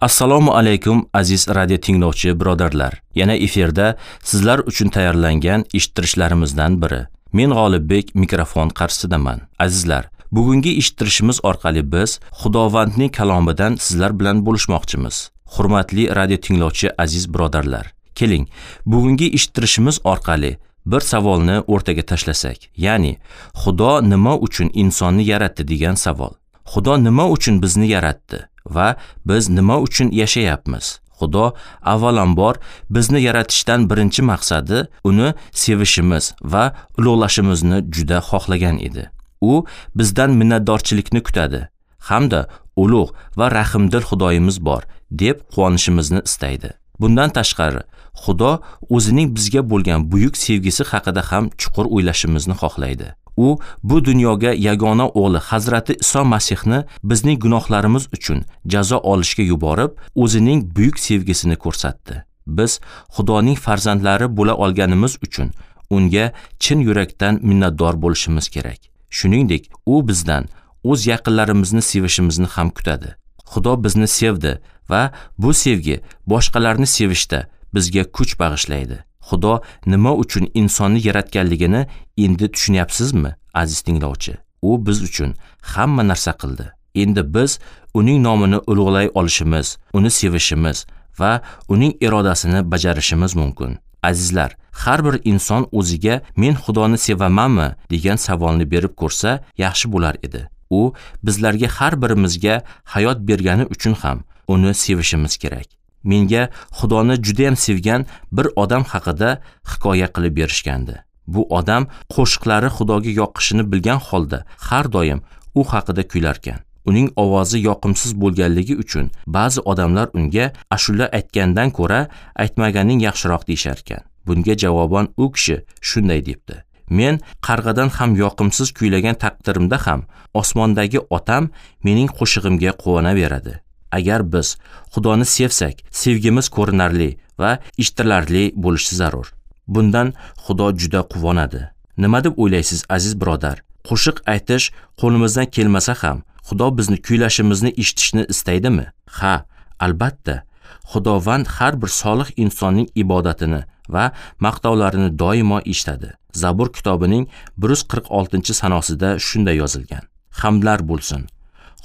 Assalomu alaykum aziz radio tinglovchi birodarlar. Yana efirda sizlar uchun tayyorlangan eshittirishlarimizdan biri. Men G'olibbek mikrofon qarshisidaman. Azizlar, bugungi eshittirishimiz orqali biz Xudovandning kalomidan sizlar bilan bo'lishmoqchimiz. Hurmatli radio tinglovchi aziz birodarlar, keling, bugungi eshittirishimiz orqali bir savolni o'rtaga tashlasak. Ya'ni, Xudo nima uchun insonni yaratdi degan savol. Xudo nima uchun bizni yaratdi va biz nima uchun yashayapmiz? Xudo avvalambor bizni yaratishdan birinchi maqsadi uni sevishimiz va ulug'lashimizni juda xohlagan edi. U bizdan minnatdorchilikni kutadi hamda ulug' va rahimdil Xudoyimiz bor deb quvonishimizni istaydi. Bundan tashqari, Xudo o'zining bizga bo'lgan buyuk sevgisi haqida ham chuqur o'ylashimizni xohlaydi. U bu dunyoga yagona o'g'li Hazrati Iso Masihni bizning gunohlarimiz uchun jazo olishga yuborib, o'zining buyuk sevgisini ko'rsatdi. Biz Xudoning farzandlari bo'la olganimiz uchun unga chin yurakdan minnatdor bo'lishimiz kerak. Shuningdek, u bizdan o'z yaqinlarimizni sevishimizni ham kutadi. Xudo bizni sevdi va bu sevgi boshqalarni sevishda bizga kuch bag'ishlaydi. Xudo nima uchun insonni yaratganligini endi tushunyapsizmi, aziz tinglovchi? U biz uchun hamma narsa qildi. Endi biz uning nomini ulug'lay olishimiz, uni sevishimiz va uning irodasini bajarishimiz mumkin. Azizlar, har bir inson o'ziga men Xudoni sevamanmi degan savolni berib ko'rsa yaxshi bo'lar edi. U bizlarga har birimizga hayot bergani uchun ham uni sevishimiz kerak. Menga Xudoni juda ham sevgan bir odam haqida hikoya qilib berishgandi. Bu odam qo'shiqlari Xudoga yoqishini bilgan holda har doim u haqida kuylarkan. Uning ovozi yoqimsiz bo'lganligi uchun ba'zi odamlar unga ashula aytgandan ko'ra aytmaganing yaxshiroq deyisharkan. Bunga javoban u kishi shunday debdi: Men qarg'adan ham yoqimsiz kuylagan taqdirimda ham osmondagi otam mening qo'shig'imga quvonaveradi. Agar biz Xudoni sevsak, sevgimiz ko'rinarli va eshitilarli bo'lishi zarur. Bundan Xudo juda quvonadi. Nima deb o'ylaysiz, aziz birodar? Qo'shiq aytish qo'limizdan kelmasa ham, Xudo bizni kuylashimizni eshitishni istaydimi? Ha, albatta. Xudovand har bir solih insonning ibodatini va maqtovlarini doimo eshitadi. Zabur kitobining 146-sanosida shunday yozilgan: Hamdlar bo'lsin.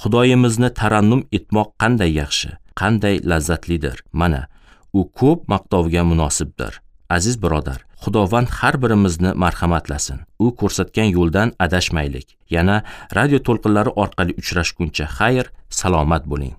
Xudoyimizni tarannum etmoq qanday yaxshi, qanday lazzatlidir. Mana, u ko'p maqtovga munosibdir. Aziz birodar, Xudovand har birimizni marhamatlasin. U ko'rsatgan yo'ldan adashmaylik. Yana radio to'lqinlari orqali uchrashguncha xayr, salomat bo'ling.